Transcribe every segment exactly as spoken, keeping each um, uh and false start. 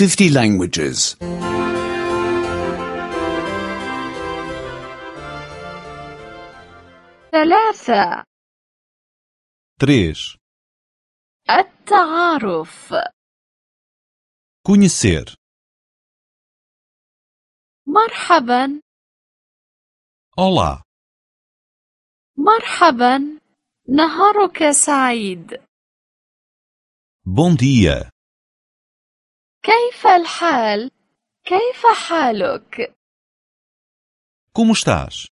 fifty languages. ثلاثة. três. التعارف. Conhecer. مرحبا. Olá. مرحبا. نهارك سعيد. Bom dia. كيف الحال؟ كيف حالك؟ Como estás?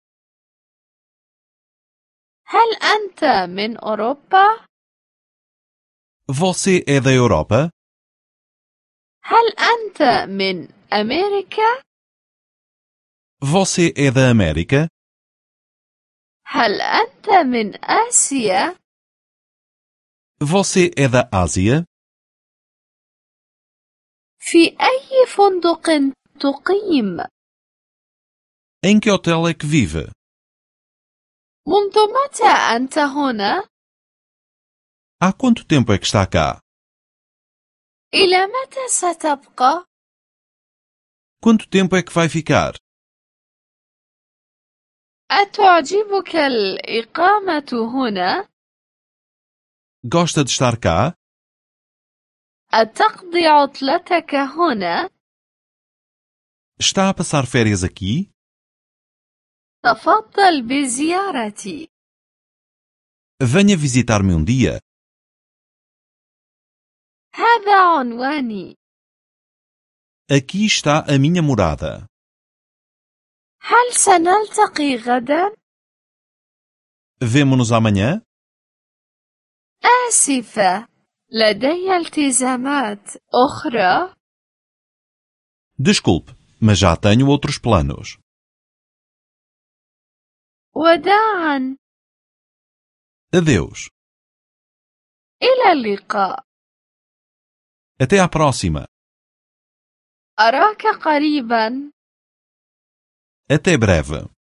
هل أنت من أوروبا؟ Você é da Europa? هل أنت من أمريكا؟ Você é da América? هل أنت من آسيا؟ Você é da Ásia? في أي فندق تقيم؟ Em que hotel é que vive? منذ متى أنت هنا؟ Há quanto tempo é que está cá? إلى متى ستبقى؟ Quanto tempo é que vai ficar? أتعجبك الإقامة هنا؟ Gosta de estar cá? أتقضي عطلتك هنا؟ Está a passar férias aqui? تفضل بزيارتي. Venha visitar-me um dia. هذا عنواني. Aqui está a minha morada. هل سنلتقي غدا؟ Vemo-nos amanhã? آسفة، لدي التزامات أخرى. Desculpe, mas já tenho outros planos. وداعا. Adeus. إلى اللقاء. Até à próxima. أراك قريبا. Até breve.